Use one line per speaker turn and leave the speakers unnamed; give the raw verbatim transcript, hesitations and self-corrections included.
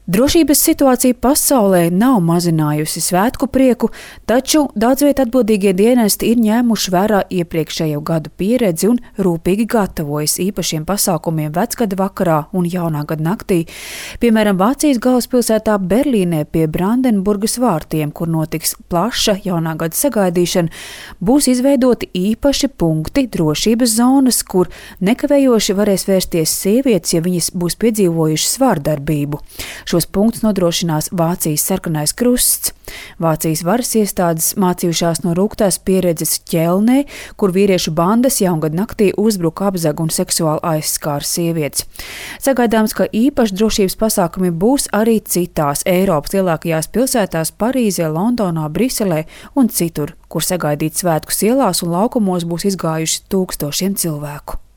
Drošības situācija pasaulē nav mazinājusi svētku prieku, taču daudzviet atbildīgie dienesti ir ņēmuši vērā iepriekšējo gadu pieredzi un rūpīgi gatavojas īpašiem pasākumiem vecgada vakarā un jaunā gada naktī. Piemēram, Vācijas galvaspilsētā Berlīnē pie Brandenburgas vārtiem, kur notiks plaša jaunā gada sagaidīšana, būs izveidoti īpaši punkti, drošības zonas, kur nekavējoši varēs vērsties sievietes, ja viņas būs piedzīvojušas vārdarbību. Šos punktus nodrošinās Vācijas Sarkanais Krusts. Vācijas varas iestādes mācījušās no rūgtās pieredzes Ķelnē, kur vīriešu bandas jaungada naktī uzbruka, apzaga un seksuāli aizskāra sievietes. Sagaidāms, ka īpaši drošības pasākumi būs arī citās Eiropas lielākajās pilsētās Parīzē, Londonā, Briselē un citur, kur sagaidīt svētkus ielās un laukumos būs izgājuši tūkstošiem cilvēku.